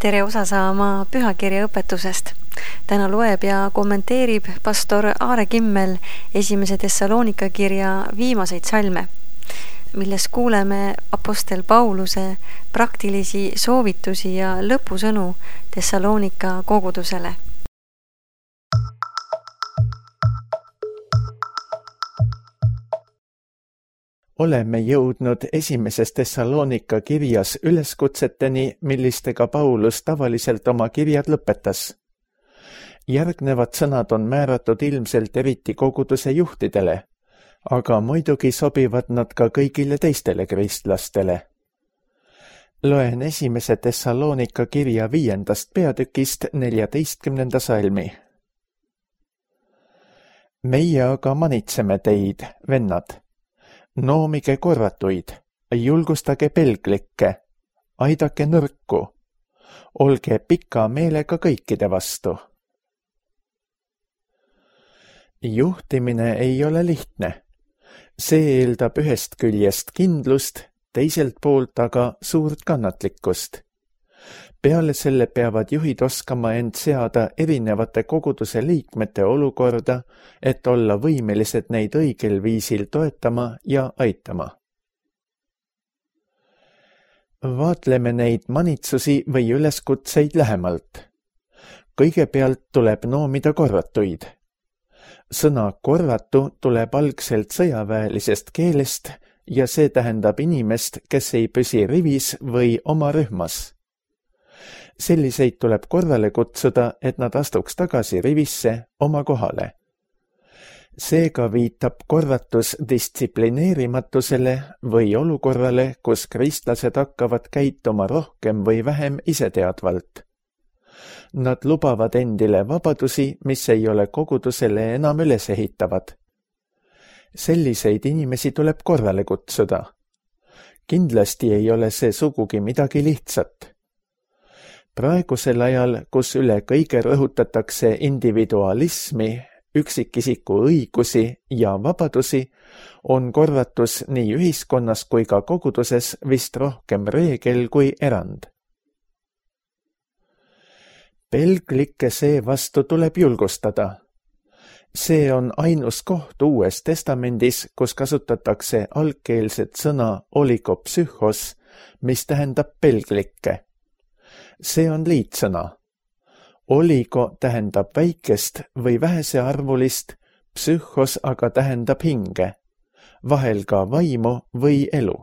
Tere osa saama pühakirja õpetusest. Täna loeb ja kommenteerib pastor Aare Kimmel 1. Thessalonika kirja viimaseid salme, milles kuuleme apostel Pauluse praktilisi soovitusi ja lõpusõnu Thessalonika kogudusele. Oleme jõudnud 1. Thessalonika kirjas üleskutseteni, millistega Paulus tavaliselt oma kirjad lõpetas. Järgnevad sõnad on määratud ilmselt eriti koguduse juhtidele, aga muidugi sobivad nad ka kõigile teistele kristlastele. Loen 1. Thessalonika kirja 5. peatükist 14. salmi. Meie aga manitseme teid, vennad. Noomige korratuid, julgustage pelglikke, aidake nõrku, olge pika meelega kõikide vastu. Juhtimine ei ole lihtne. See eeldab ühest küljest kindlust, teiselt poolt aga suurt kannatlikkust. Peale selle peavad juhid oskama end seada erinevate koguduse liikmete olukorda, et olla võimelised neid õigel viisil toetama ja aitama. Vaatleme neid manitsusi või üleskutseid lähemalt. Kõigepealt tuleb noomida korratuid. Sõna korratu tuleb algselt sõjaväelisest keelest ja see tähendab inimest, kes ei püsi rivis või oma rühmas. Selliseid tuleb korrale kutsuda, et nad astuks tagasi rivisse oma kohale. Seega viitab korratus distsiplineerimatusele või olukorrale, kus kristlased hakkavad käituma rohkem või vähem iseteadvalt. Nad lubavad endile vabadusi, mis ei ole kogudusele enam üles ehitavad. Selliseid inimesi tuleb korrale kutsuda. Kindlasti ei ole see sugugi midagi lihtsat. Praegusel ajal, kus üle kõige rõhutatakse individualismi, üksikisiku õigusi ja vabadusi, on korratus nii ühiskonnas kui ka koguduses vist rohkem reegel kui erand. Pelglikke seevastu tuleb julgustada. See on ainus koht Uues Testamendis, kus kasutatakse algkeelset sõna oligopsühhos, mis tähendab pelglikke. See on liitsõna. Oligo tähendab väikest või vähesearvulist, psühhos aga tähendab hinge, vahel ka vaimu või elu.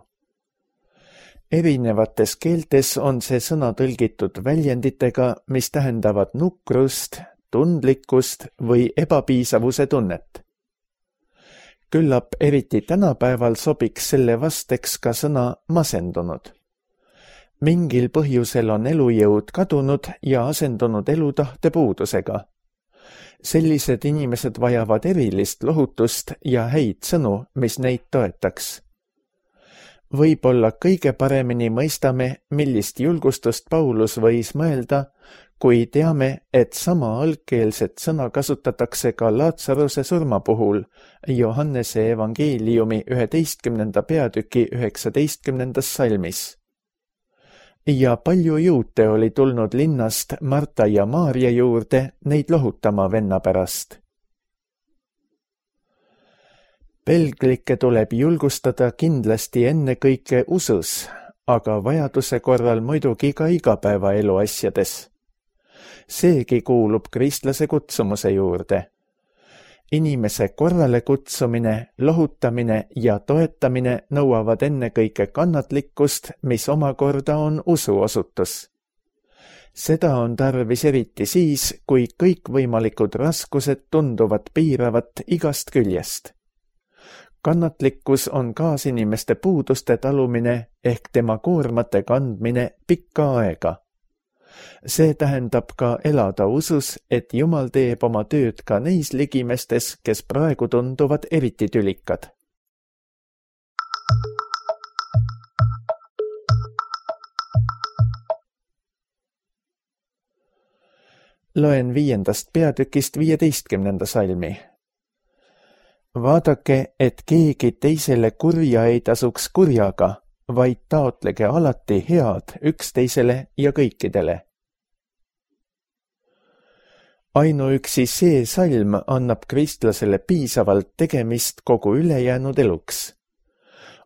Erinevates keeltes on see sõna tõlgitud väljenditega, mis tähendavad nukrust, tundlikkust või ebapiisavuse tunnet. Küllap eriti tänapäeval sobiks selle vasteks ka sõna masendunud. Mingil põhjusel on elujõud kadunud ja asendunud elutahte puudusega. Sellised inimesed vajavad erilist lohutust ja häid sõnu, mis neid toetaks. Võib-olla kõige paremini mõistame, millist julgustust Paulus võis mõelda, kui teame, et sama algkeelset sõna kasutatakse ka Laatsaruse surma puhul Johannese evangeeliumi 11. peatüki 19. salmis. Ja palju juute oli tulnud linnast Marta ja Maaria juurde neid lohutama venna pärast. Pelglikke tuleb julgustada kindlasti ennekõike usus, aga vajaduse korral muidugi ka igapäevaelu asjades. Seegi kuulub kristlase kutsumuse juurde. Inimese korrale kutsumine, lohutamine ja toetamine nõuavad ennekõike kannatlikkust, mis omakorda on usuosutus. Seda on tarvis eriti siis, kui kõikvõimalikud raskused tunduvad piiravat igast küljest. Kannatlikkus on kaasinimeste puuduste talumine ehk tema koormate kandmine pikka aega. See tähendab ka elada usus, et Jumal teeb oma tööd ka neis ligimestes, kes praegu tunduvad eriti tülikad. Loen 5. peatükist 15. salmi. Vaadake, et keegi teisele kurja ei tasuks kurjaga, vaid taotlege alati head üksteisele ja kõikidele. Ainuüksi see salm annab kristlasele piisavalt tegemist kogu ülejäänud eluks.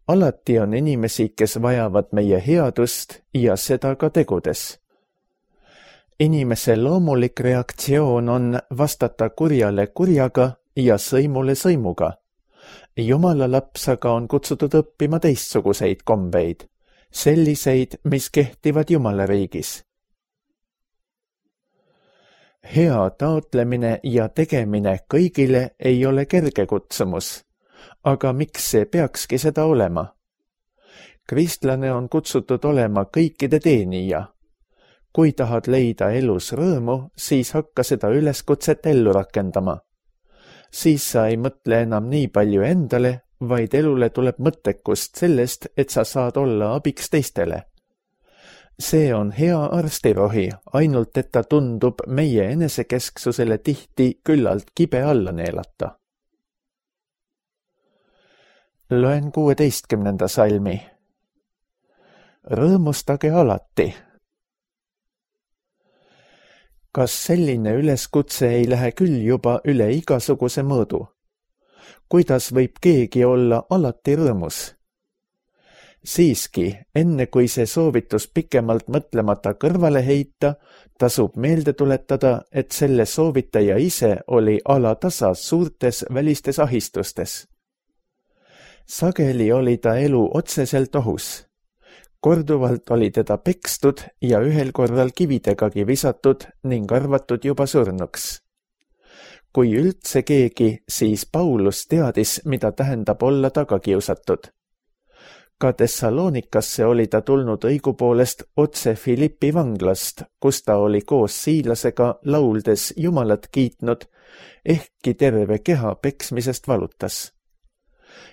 Alati on inimesi, kes vajavad meie headust ja seda ka tegudes. Inimese loomulik reaktsioon on vastata kurjale kurjaga ja sõimule sõimuga. Jumala laps aga on kutsutud õppima teistsuguseid kombeid, selliseid, mis kehtivad Jumala riigis. Hea taotlemine ja tegemine kõigile ei ole kerge kutsumus, aga miks see peakski seda olema? Kristlane on kutsutud olema kõikide teenija. Kui tahad leida elus rõõmu, siis hakka seda üleskutset ellu rakendama. Siis sa ei mõtle enam nii palju endale, vaid elule tuleb mõttekust sellest, et sa saad olla abiks teistele. See on hea arstirohi, ainult et ta tundub meie enesekesksusele tihti küllalt kibe alla neelata. Loen 16. salmi. Rõõmustage alati. Kas selline üleskutse ei lähe küll juba üle igasuguse mõõdu? Kuidas võib keegi olla alati rõõmus? Siiski, enne kui see soovitus pikemalt mõtlemata kõrvale heita, tasub meelde tuletada, et selle soovitaja ise oli alatasa suurtes välistes ahistustes. Sageli oli ta elu otseselt ohus. Korduvalt oli teda pekstud ja ühel korral kividegagi visatud ning arvatud juba surnuks. Kui üldse keegi, siis Paulus teadis, mida tähendab olla tagakiusatud. Ka Thessalonikasse oli ta tulnud õigupoolest otse Filippi vanglast, kus ta oli koos Siilasega lauldes Jumalat kiitnud, ehkki terve keha peksmisest valutas.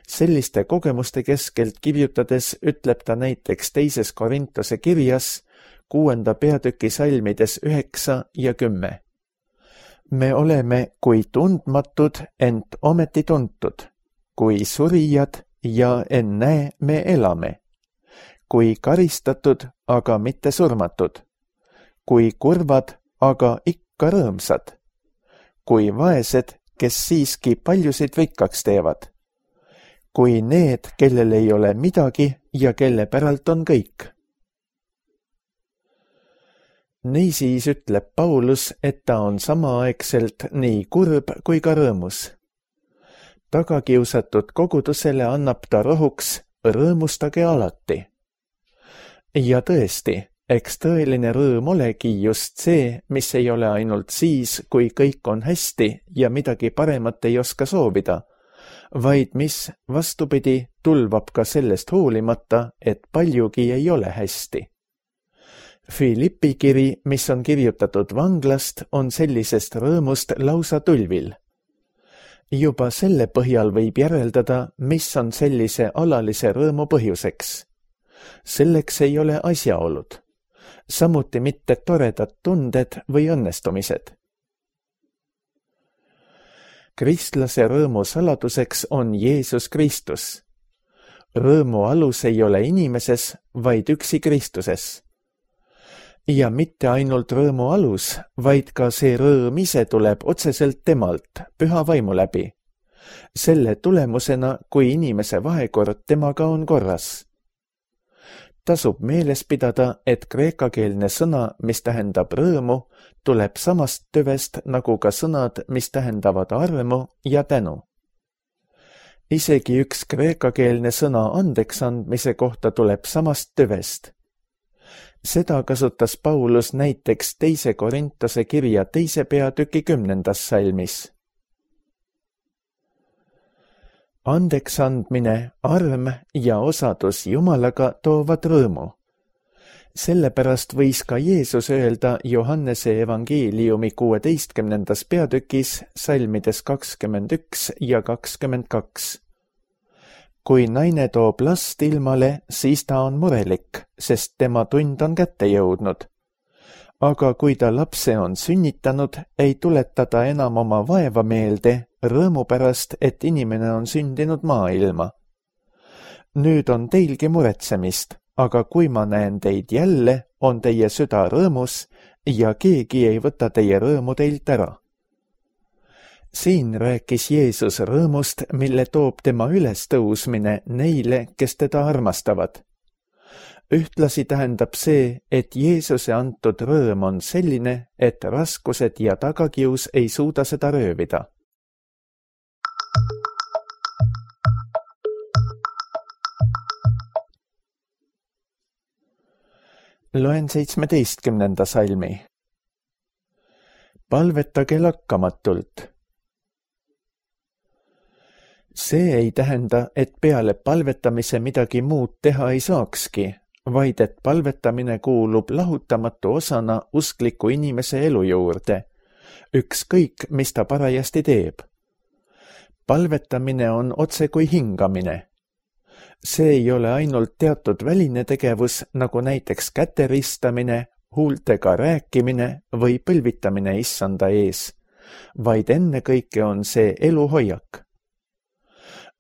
Selliste kogemuste keskelt kirjutades ütleb ta näiteks 2. Korintuse kirjas 6. peatüki salmides 9 ja 10. Me oleme kui tundmatud, ent ometi tuntud, kui surijad ja ennäe me elame, kui karistatud, aga mitte surmatud, kui kurvad, aga ikka rõõmsad, kui vaesed, kes siiski paljusid rikkaks teevad, kui need, kellel ei ole midagi ja kelle päralt on kõik. Niisiis ütleb Paulus, et ta on samaaegselt nii kurb kui ka rõõmus. Tagakiusatud kogudusele annab ta rohuks rõõmustage alati. Ja tõesti, eks tõeline rõõm olegi just see, mis ei ole ainult siis, kui kõik on hästi ja midagi paremat ei oska soovida, vaid mis, vastupidi, tulvab ka sellest hoolimata, et paljugi ei ole hästi. Filippi kiri, mis on kirjutatud vanglast, on sellisest rõõmust lausa tulvil. Juba selle põhjal võib järeldada, mis on sellise alalise rõõmu põhjuseks. Selleks ei ole asjaolud, samuti mitte toredad tunded või õnnestumised. Kristlase rõõmu saladuseks on Jeesus Kristus. Rõõmu alus ei ole inimeses, vaid üksi Kristuses. Ja mitte ainult rõõmu alus, vaid ka see rõõm ise tuleb otseselt temalt, püha vaimu läbi. Selle tulemusena, kui inimese vahekord temaga on korras. Tasub meeles pidada, et kreekakeelne sõna, mis tähendab rõõmu, tuleb samast tüvest nagu ka sõnad, mis tähendavad armu ja tänu. Isegi üks kreekakeelne sõna andeks andmise kohta tuleb samast tüvest. Seda kasutas Paulus näiteks 2. Korintuse kirja 2. peatüki 10. salmis. Andeks andmine, arm ja osadus Jumalaga toovad rõõmu. Sellepärast võis ka Jeesus öelda Johannese evangeeliumi 16. peatükis salmides 21 ja 22. Kui naine toob last ilmale, siis ta on murelik, sest tema tund on kätte jõudnud. Aga kui ta lapse on sünnitanud, ei tuleta ta enam oma vaeva meelde, rõõmu pärast, et inimene on sündinud maailma. Nüüd on teilgi muretsemist, aga kui ma näen teid jälle, on teie süda rõõmus ja keegi ei võta teie rõõmu teilt ära. Siin rääkis Jeesus rõõmust, mille toob tema ülestõusmine neile, kes teda armastavad. Ühtlasi tähendab see, et Jeesuse antud rõõm on selline, et raskused ja tagakius ei suuda seda röövida. Loen 17. salmi. Palvetage lakkamatult. See ei tähenda, et peale palvetamise midagi muud teha ei saakski, vaid et palvetamine kuulub lahutamatu osana uskliku inimese elu juurde, ükskõik, mis ta parajasti teeb. Palvetamine on otse kui hingamine. See ei ole ainult teatud väline tegevus, nagu näiteks käte ristamine, huultega rääkimine või põlvitamine issanda ees, vaid ennekõike on see eluhoiak.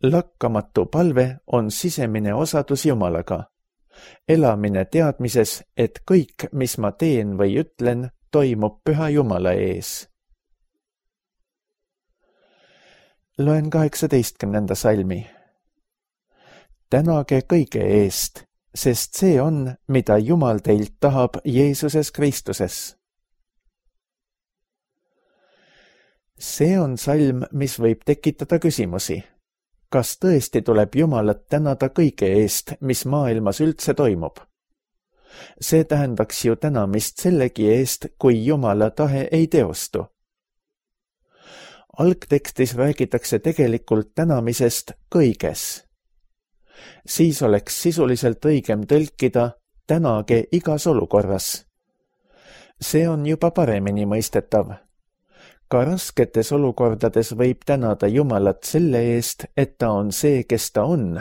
Lakkamatu palve on sisemine osadus Jumalaga. Elamine teadmises, et kõik, mis ma teen või ütlen, toimub Püha Jumala ees. Loen 18. salmi. Tänage kõige eest, sest see on, mida Jumal teilt tahab Jeesuses Kristuses. See on salm, mis võib tekitada küsimusi. Kas tõesti tuleb Jumalat tänada kõige eest, mis maailmas üldse toimub? See tähendaks ju tänamist sellegi eest, kui Jumala tahe ei teostu. Algtekstis räägitakse tegelikult tänamisest kõiges. Siis oleks sisuliselt õigem tõlkida tänage igas olukorras. See on juba paremini mõistetav. Ka rasketes olukordades võib tänada Jumalat selle eest, et ta on see, kes ta on,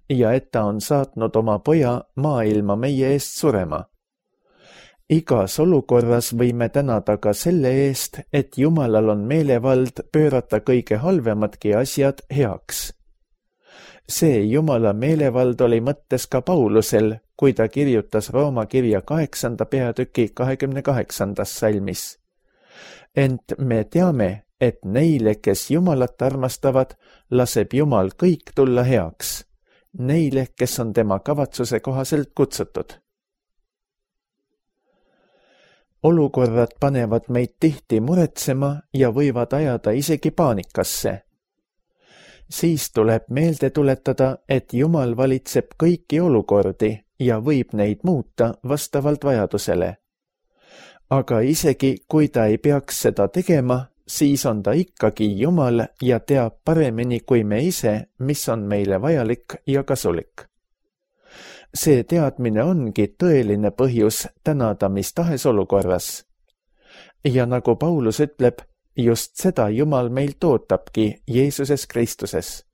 ja et ta on saatnud oma poja maailma meie eest surema. Igas olukorras võime tänada ka selle eest, et Jumalal on meelevald pöörata kõige halvemadki asjad heaks. See Jumala meelevald oli mõttes ka Paulusel, kui ta kirjutas Rooma kirja 8. peatüki 28. salmis. Ent me teame, et neile, kes Jumalat armastavad, laseb Jumal kõik tulla heaks, neile, kes on tema kavatsuse kohaselt kutsutud. Olukorrad panevad meid tihti muretsema ja võivad ajada isegi paanikasse. Siis tuleb meelde tuletada, et Jumal valitseb kõiki olukordi ja võib neid muuta vastavalt vajadusele. Aga isegi, kui ta ei peaks seda tegema, siis on ta ikkagi Jumal ja teab paremini kui me ise, mis on meile vajalik ja kasulik. See teadmine ongi tõeline põhjus tänada mis tahes olukorras. Ja nagu Paulus ütleb, just seda Jumal meilt ootabki Jeesuses Kristuses.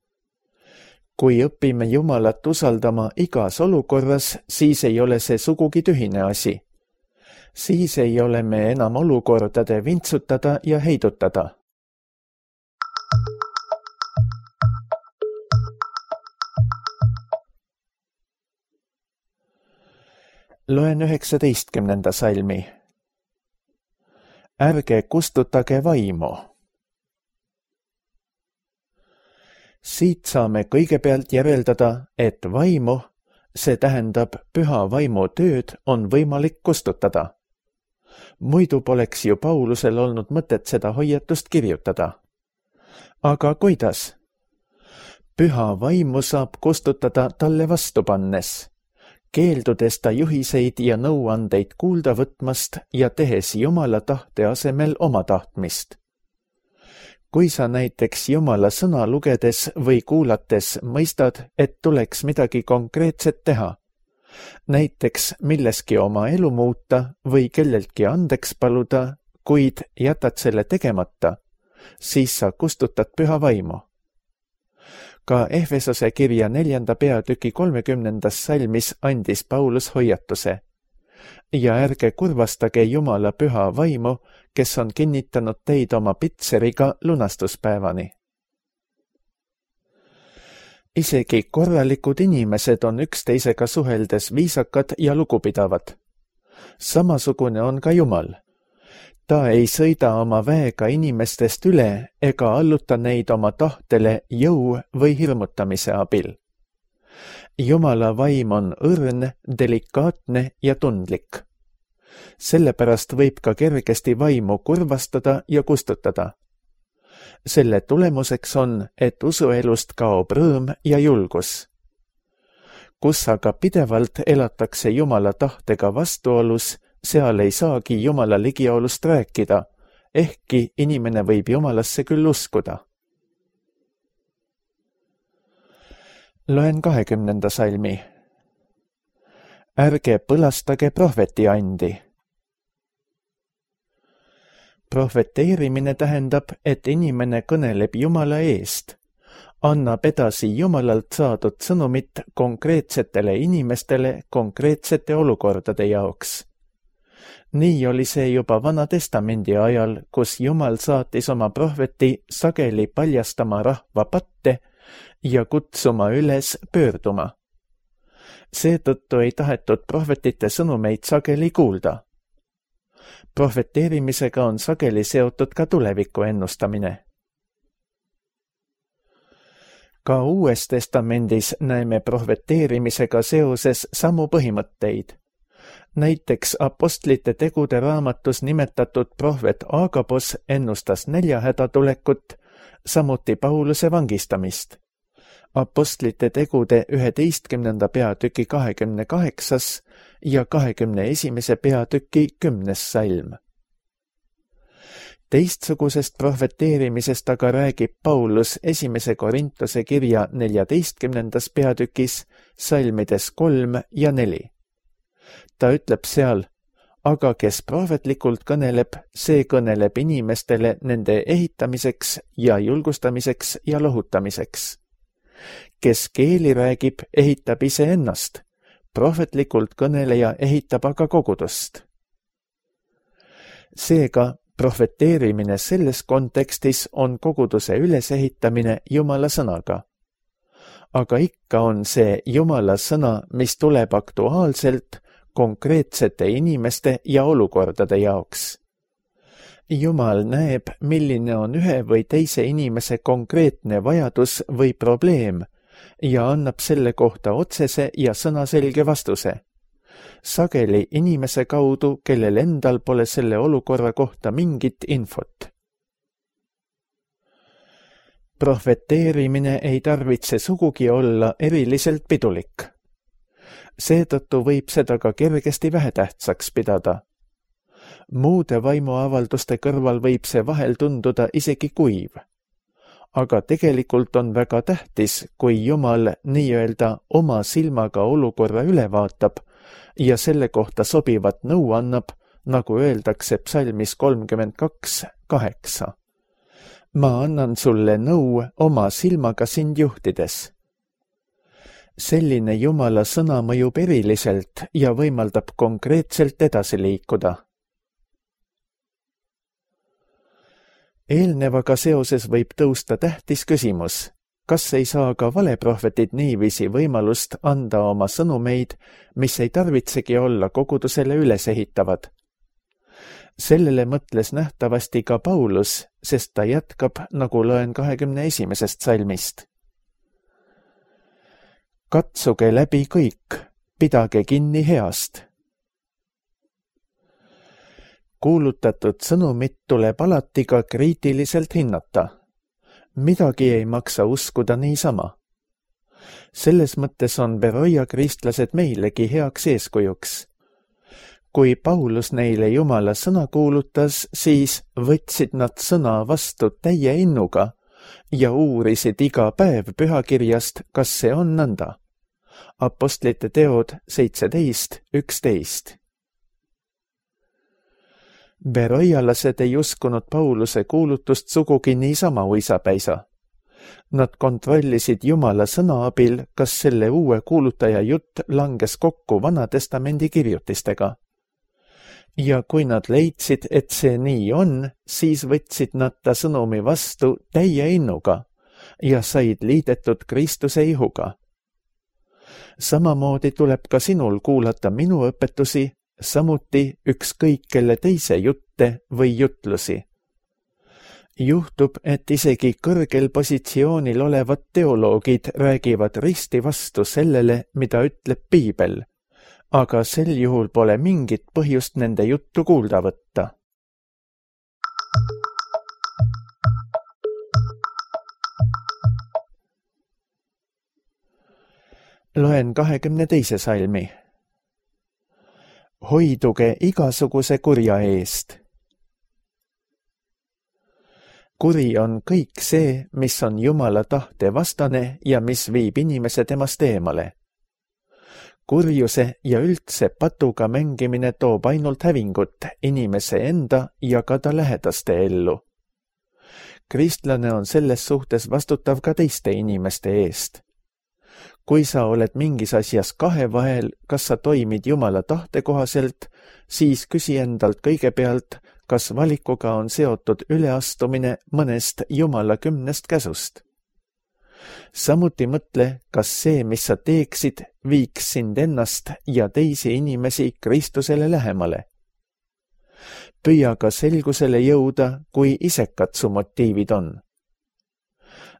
Kui õpime Jumalat usaldama igas olukorras, siis ei ole see sugugi tühine asi. Siis ei ole me enam olukordade vintsutada ja heidutada. Loen 19. salmi. Ärge kustutage vaimu. Siit saame kõigepealt järeldada, et vaimu, see tähendab püha vaimu tööd, on võimalik kustutada. Muidu poleks ju Paulusel olnud mõtet seda hoiatust kirjutada. Aga kuidas? Püha vaimu saab kustutada talle vastu pannes, keeldudes ta juhiseid ja nõuandeid kuulda võtmast ja tehes Jumala tahte asemel oma tahtmist. Kui sa näiteks Jumala sõna lugedes või kuulates mõistad, et tuleks midagi konkreetset teha, näiteks milleski oma elu muuta või kelleltki andeks paluda, kuid jätad selle tegemata, siis sa kustutad püha vaimu. Ka Efesose kirja 4. peatüki 30. salmis andis Paulus hoiatuse. Ja ärge kurvastage Jumala püha vaimu, kes on kinnitanud teid oma pitseriga lunastuspäevani. Isegi korralikud inimesed on üksteisega suheldes viisakad ja lugupidavad. Samasugune on ka Jumal. Ta ei sõida oma väega inimestest üle ega alluta neid oma tahtele jõu või hirmutamise abil. Jumala vaim on õrn, delikaatne ja tundlik. Sellepärast võib ka kergesti vaimu kurvastada ja kustutada. Selle tulemuseks on, et usuelust kaob rõõm ja julgus. Kus aga pidevalt elatakse Jumala tahtega vastuolus, seal ei saagi Jumala ligiolust rääkida, ehkki inimene võib Jumalasse küll uskuda. Loen 20. salmi. Ärge põlastage prohvetiandi. Prohveteerimine tähendab, et inimene kõneleb Jumala eest, annab edasi Jumalalt saadud sõnumit konkreetsetele inimestele konkreetsete olukordade jaoks. Nii oli see juba Vana-testamendi ajal, kus Jumal saatis oma prohveti sageli paljastama rahva patte ja kutsuma üles pöörduma. Seetõttu ei tahetud prohvetite sõnumeid sageli kuulda. Prohveteerimisega on sageli seotud ka tuleviku ennustamine. Ka Uues Testamendis näeme prohveteerimisega seoses samu põhimõtteid. Näiteks Apostlite tegude raamatus nimetatud prohvet Agabos ennustas näljahäda tulekut, samuti Pauluse vangistamist. Apostlite tegude 11. peatüki 28. ja 21. peatüki 10. salm. Teistsugusest prohveteerimisest aga räägib Paulus 1. Korintuse kirja 14. peatükis salmides 3 ja 4. Ta ütleb seal, aga kes prohvetlikult kõneleb, see kõneleb inimestele nende ehitamiseks ja julgustamiseks ja lohutamiseks. Kes keeli räägib, ehitab iseennast, prohvetlikult kõneleja ehitab aga kogudust. Seega, prohveteerimine selles kontekstis on koguduse ülesehitamine Jumala sõnaga. Aga ikka on see Jumala sõna, mis tuleb aktuaalselt konkreetsete inimeste ja olukordade jaoks. Jumal näeb, milline on ühe või teise inimese konkreetne vajadus või probleem ja annab selle kohta otsese ja sõnaselge vastuse. Sageli inimese kaudu, kellel endal pole selle olukorra kohta mingit infot. Prohveteerimine ei tarvitse sugugi olla eriliselt pidulik. Seetõttu võib seda ka kergesti vähetähtsaks pidada. Muude vaimuavalduste kõrval võib see vahel tunduda isegi kuiv. Aga tegelikult on väga tähtis, kui Jumal nii-öelda oma silmaga olukorra üle vaatab ja selle kohta sobivat nõu annab, nagu öeldakse psalmis 32:8. Ma annan sulle nõu oma silmaga sind juhtides. Selline Jumala sõna mõjub eriliselt ja võimaldab konkreetselt edasi liikuda. Eelnevaga seoses võib tõusta tähtis küsimus, kas ei saa ka valeprohvetid niiviisi võimalust anda oma sõnumeid, mis ei tarvitsegi olla kogudusele ülesehitavad. Sellele mõtles nähtavasti ka Paulus, sest ta jätkab, nagu loen 21. salmist. Katsuge läbi kõik, pidage kinni heast. Kuulutatud sõnumit tuleb alati ka kriitiliselt hinnata. Midagi ei maksa uskuda niisama. Selles mõttes on Beroia kristlased meilegi heaks eeskujuks. Kui Paulus neile Jumala sõna kuulutas, siis võtsid nad sõna vastu täie innuga ja uurisid iga päev pühakirjast, kas see on nõnda. Apostlite teod 17:11. Beroialased ei uskunud Pauluse kuulutust sugugi niisama uisapäisa. Nad kontrollisid Jumala sõna abil, kas selle uue kuulutaja jutt langes kokku Vana-testamendi kirjutistega. Ja kui nad leidsid, et see nii on, siis võtsid nad ta sõnumi vastu täie innuga ja said liidetud Kristuse ihuga. Samamoodi tuleb ka sinul kuulata minu õpetusi, samuti ükskõik kelle teise jutte või jutlusi. Juhtub, et isegi kõrgel positsioonil olevad teoloogid räägivad risti vastu sellele, mida ütleb piibel, aga sel juhul pole mingit põhjust nende juttu kuulda võtta. Loen 22. salmi. Hoiduge igasuguse kurja eest. Kuri on kõik see, mis on Jumala tahte vastane ja mis viib inimese temast eemale. Kurjuse ja üldse patuga mängimine toob ainult hävingut inimese enda ja ka ta lähedaste ellu. Kristlane on selles suhtes vastutav ka teiste inimeste eest. Kui sa oled mingis asjas kahe vahel, kas sa toimid Jumala tahte kohaselt, siis küsi endalt kõigepealt, kas valikuga on seotud üleastumine mõnest Jumala 10 käsust. Samuti mõtle, kas see, mis sa teeksid, viiks sind ennast ja teisi inimesi Kristusele lähemale. Püüa ka selgusele jõuda, kui isekad su motiivid on.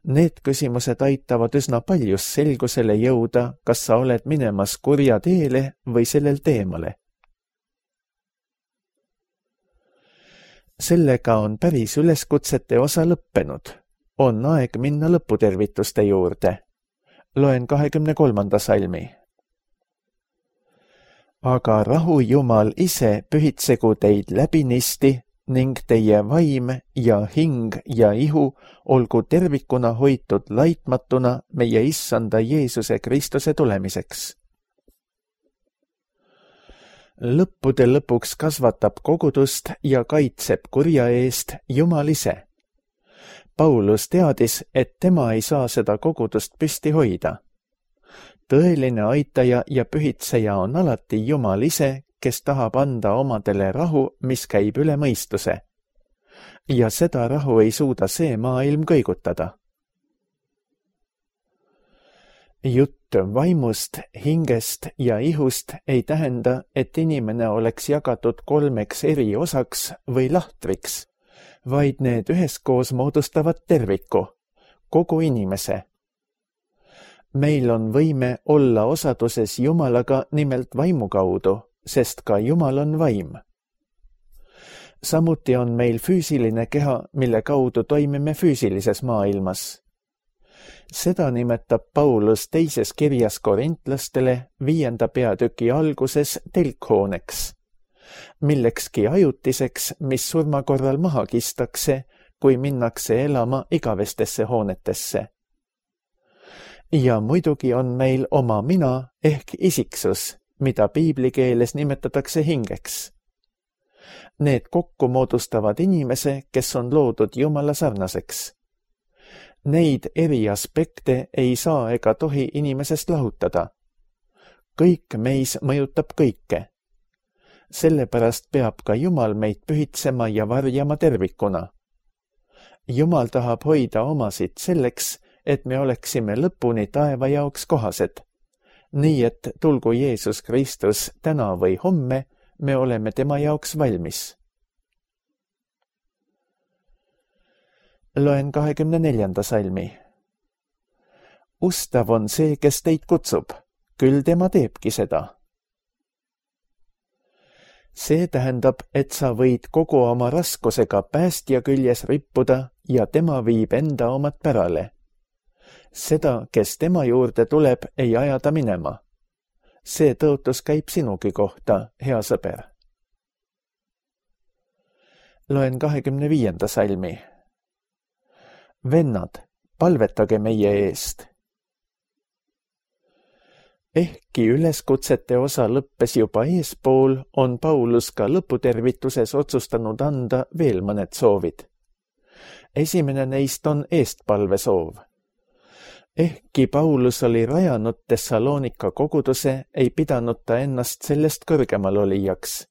Need küsimused aitavad üsna paljus selgusele jõuda, kas sa oled minemas kurja teele või sellel teemale. Sellega on päris üleskutsete osa lõppenud. On aeg minna lõputervituste juurde. Loen 23. salmi. Aga rahu Jumal ise pühitsegu teid läbinisti ning teie vaim ja hing ja ihu olgu tervikuna hoitud laitmatuna meie Issanda Jeesuse Kristuse tulemiseks. Lõppude lõpuks kasvatab kogudust ja kaitseb kurja eest Jumal ise. Paulus teadis, et tema ei saa seda kogudust püsti hoida. Tõeline aitaja ja pühitseja on alati Jumal ise, kes tahab anda omadele rahu, mis käib üle mõistuse. Ja seda rahu ei suuda see maailm kõigutada. Jutt vaimust, hingest ja ihust ei tähenda, et inimene oleks jagatud 3 eri osaks või lahtriks, vaid need üheskoos moodustavad terviku, kogu inimese. Meil on võime olla osaduses Jumalaga nimelt vaimu kaudu, sest ka Jumal on vaim. Samuti on meil füüsiline keha, mille kaudu toimime füüsilises maailmas. Seda nimetab Paulus teises kirjas korintlastele 5. peatüki alguses telkhooneks, millekski ajutiseks, mis surma korral maha kistakse, kui minnakse elama igavestesse hoonetesse. Ja muidugi on meil oma mina ehk isiksus, mida piiblikeeles nimetatakse hingeks. Need kokku moodustavad inimese, kes on loodud Jumala sarnaseks. Neid eri aspekte ei saa ega tohi inimesest lahutada. Kõik meis mõjutab kõike. Sellepärast peab ka Jumal meid pühitsema ja varjama tervikuna. Jumal tahab hoida omasid selleks, et me oleksime lõpuni taeva jaoks kohased. Nii et tulgu Jeesus Kristus täna või homme, me oleme tema jaoks valmis. Loen 24. salmi. Ustav on see, kes teid kutsub, küll tema teebki seda. See tähendab, et sa võid kogu oma raskusega päästja küljes rippuda ja tema viib enda omad pärale. Seda, kes tema juurde tuleb, ei aja ta minema. See tõotus käib sinugi kohta, hea sõber. Loen 25. salmi. Vennad, palvetage meie eest. Ehkki üleskutsete osa lõppes juba eespool, on Paulus ka lõputervituses otsustanud anda veel mõned soovid. Esimene neist on eestpalvesoov. Ehkki Paulus oli rajanud Thessalonika koguduse, ei pidanud ta ennast sellest kõrgemal olijaks.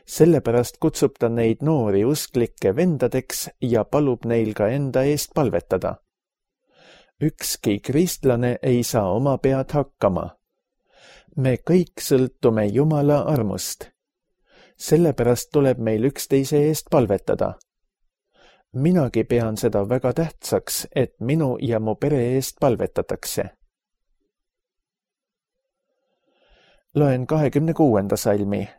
Sellepärast kutsub ta neid noori usklikke vendadeks ja palub neil ka enda eest palvetada. Ükski kristlane ei saa oma pead hakkama. Me kõik sõltume Jumala armust sellepärast tuleb meil üksteise eest palvetada. Minagi pean seda väga tähtsaks, et minu ja mu pere eest palvetatakse. Loen 26. salmi.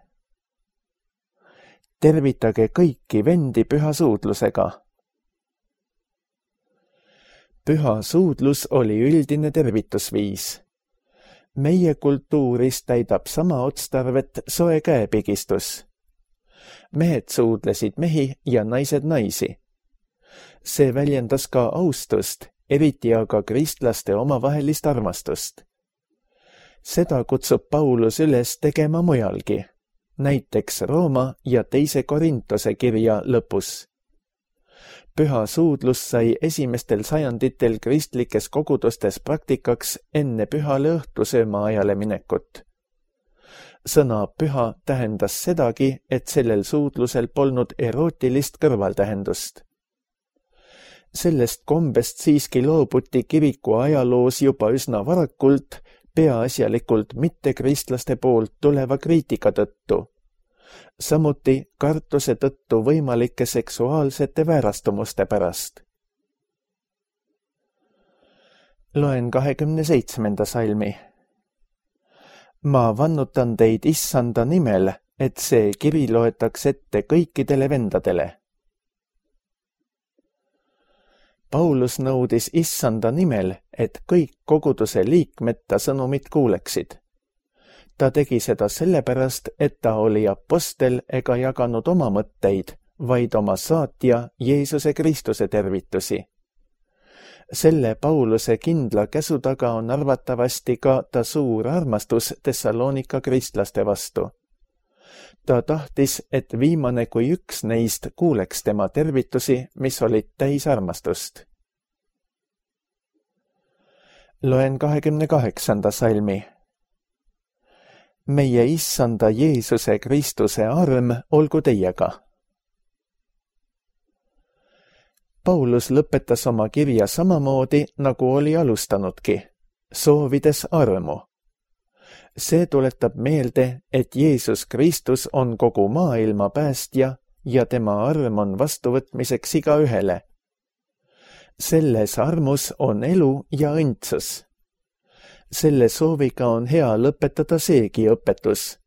Tervitage kõiki vendi püha suudlusega. Püha suudlus oli üldine tervitusviis. Meie kultuuris täidab sama otstarvet soe käepigistus. Mehed suudlesid mehi ja naised naisi. See väljendas ka austust, eriti aga kristlaste omavahelist armastust. Seda kutsub Paulus üles tegema mujalgi, näiteks Rooma ja 2. Korintuse kirja lõpus. Püha suudlus sai esimestel sajanditel kristlikes kogudustes praktikaks enne pühale õhtusööma ajale minekut. Sõna püha tähendas sedagi, et sellel suudlusel polnud erootilist kõrvaltähendust. Sellest kombest siiski loobuti kiriku ajaloos juba üsna varakult, peaasjalikult mittekristlaste poolt tuleva kriitika tõttu. Samuti kartuse tõttu võimalike seksuaalsete väärastumuste pärast. Loen 27. salmi. Ma vannutan teid issanda nimel, et see kiri loetaks ette kõikidele vendadele. Paulus nõudis issanda nimel, et kõik koguduse liikmed ta sõnumit kuuleksid. Ta tegi seda sellepärast, et ta oli apostel ega jaganud oma mõtteid, vaid oma saatja Jeesuse Kristuse tervitusi. Selle Pauluse kindla käsu taga on arvatavasti ka ta suur armastus Thessalonika kristlaste vastu. Ta tahtis, et viimane kui üks neist kuuleks tema tervitusi, mis olid täis armastust. Loen 28. salmi. Meie issanda Jeesuse Kristuse arm olgu teiega. Paulus lõpetas oma kirja samamoodi, nagu oli alustanudki, soovides armu. See tuletab meelde, et Jeesus Kristus on kogu maailma päästja ja tema arm on vastuvõtmiseks igaühele. Selles armus on elu ja õndsus. Selle sooviga on hea lõpetada seegi õpetus.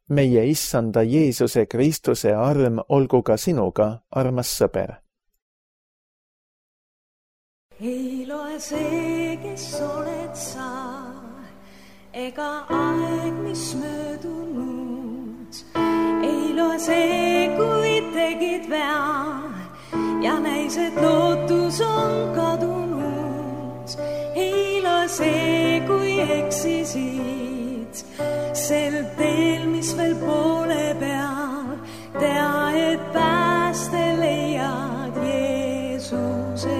Meie issanda Jeesuse Kristuse arm olgu ka sinuga, armas sõber. Ei loe see, kes oled sa, ega aeg, mis möödunud. Ei loe see, kui tegid vea ja näis, et lootus on kadunud. Ei loe see, kui eksisid sel teel, mis veel poole peal. Tea, et pääste leiad Jeesuse.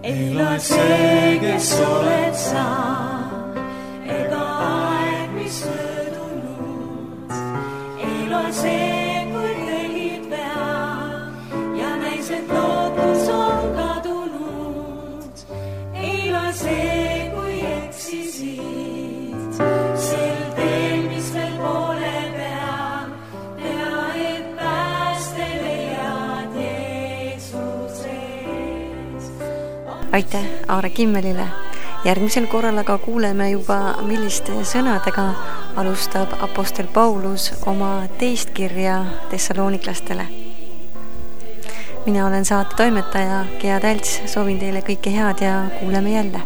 Ei loe see, kes oled sa, ega aeg, mis möödunud. Ei loe see, kui tegid vea ja näis, et lootus on kadunud. Ei loe see, kui eksisid sel teel, mis veel poole peal. Tea, et pääste leiad Jeesuses. Aitäh Aare Kimmelile. Järgmisel korral aga kuuleme juba, milliste sõnadega alustab apostel Paulus oma teist kirja Thessaloniklastele. Mina olen saate toimetaja Gea Tälts, soovin teile kõike head ja kuuleme jälle.